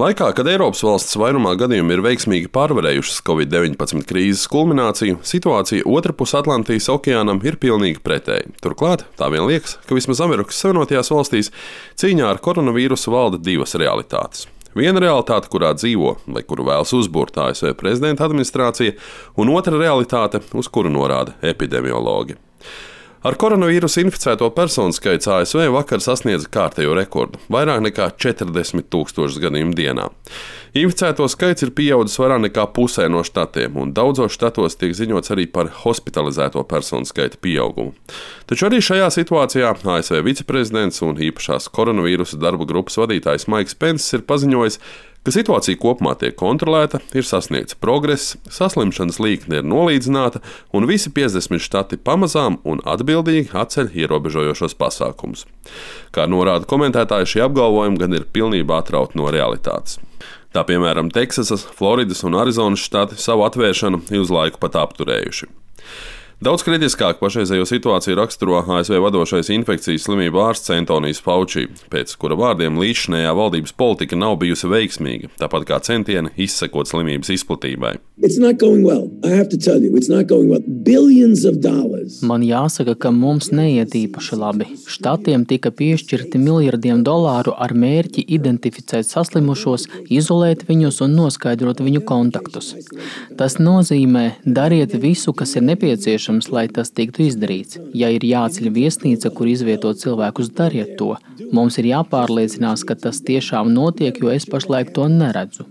Laikā, kad Eiropas valsts vairumā gadījumu ir veiksmīgi pārvarējušas Covid-19 krīzes kulmināciju, situācija otrpus Atlantijas okeānam ir pilnīgi pretēja. Turklāt, tā vien liekas, ka vismaz Amerikas Savienotajās valstīs cīņā ar koronavīrusu valda divas realitātes. Viena realitāte, kurā dzīvo vai kuru vēlas uzburt ASV prezidenta administrācija, un otra realitāte, uz kuru norāda epidemiologi. Ar koronavīrusu inficēto personu skaits ASV vakar sasniedza kārtējo rekordu – vairāk nekā 40,000 gadījumu dienā. Inficēto skaits ir pieaudzis vairāk nekā pusē no štatiem, un daudzos štatos tiek ziņots arī par hospitalizēto personu skaita pieaugumu. Taču arī šajā situācijā ASV viceprezidents un īpašās koronavīrusa darba grupas vadītājs Maiks Penss ir paziņojis, ka situācija kopumā tiek kontrolēta, ir sasniegts progress, saslimšanas līkne ir nolīdzināta un visi 50 štati pamazām un atbildīgi atceļ ierobežojošos pasākumus. Kā norāda komentētāji, šie apgalvojumi gan ir pilnībā atrauti no realitātes. Tā piemēram, Teksasas, Floridas un Arizonas štati savu atvēršanu ir uz laiku pat apturējuši. Daudz kritiskāk pašreizējo situāciju raksturo ASV vadošais infekcijas slimību ārsts Antonijs Fauci, pēc kura vārdiem līdzšinējā valdības politika nav bijusi veiksmīga, tāpat kā centieni izsekot slimības izplatībai. Man jāsaka, ka mums neiet īpaši labi. Štatiem tika piešķirti miljardiem dolāru ar mērķi identificēt saslimušos, izolēt viņus un noskaidrot viņu kontaktus. Tas nozīmē, dariet visu, kas ir nepieciešams, lai tas tiktu izdarīts. Ja ir jāceļ viesnīca, kur izvietot cilvēkus, dariet to. Mums ir jāpārliecinās, ka tas tiešām notiek, jo es pašlaik to neredzu.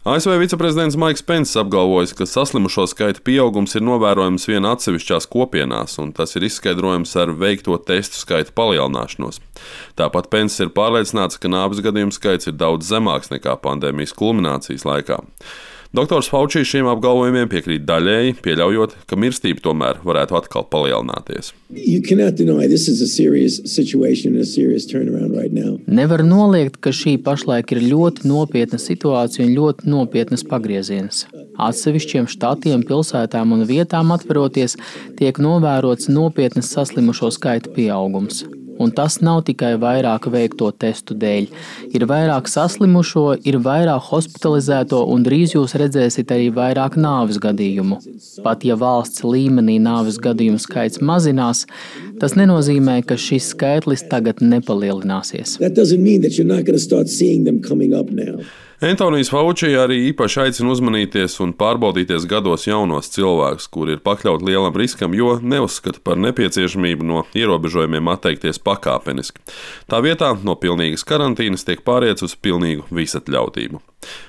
ASV viceprezidents Maiks Penss apgalvojis, ka saslimušo skaita pieaugums ir novērojams vien atsevišķās kopienās, un tas ir izskaidrojams ar veikto testu skaita palielināšanos. Tāpat Penss ir pārliecināts, ka nāves gadījumu skaits ir daudz zemāks nekā pandēmijas kulminācijas laikā. Doktors Fauci šiem apgalvojumiem piekrīt daļēji, pieļaujot, ka mirstība tomēr varētu atkal palielināties. Nevar noliegt, ka šī pašlaik ir ļoti nopietna situācija un ļoti nopietnas pagrieziens. Atsevišķiem štatiem, pilsētām un vietām atveroties, tiek novērots nopietnas saslimušo skaita pieaugums. Un tas nav tikai vairāk veikto testu dēļ. Ir vairāk saslimušo, ir vairāk hospitalizēto un drīz jūs redzēsiet arī vairāk nāves gadījumu. Pat ja valsts līmenī nāves gadījumu skaits mazinās, tas nenozīmē, ka šis skaitlis tagad nepalielināsies. Antonijs Fauci arī īpaši aicina uzmanīties un pārbaudīties gados jaunos cilvēkus, kuri ir pakļauti lielam riskam, jo neuzskata par nepieciešamību no ierobežojumiem atteikties pakāpeniski. Tā vietā no pilnīgas karantīnas tiek pāriets uz pilnīgu visatļautību.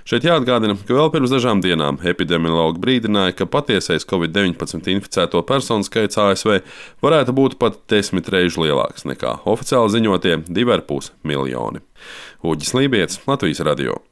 Šeit jāatgādina, ka vēl pirms dažām dienām epidemiologi brīdināja, ka patiesais Covid-19 inficēto personu skaits ASV varētu būt pat 10 reižu lielāks nekā oficiāli ziņotie 2,5 miljoni. Uģis Lībijets, Latvijas radio.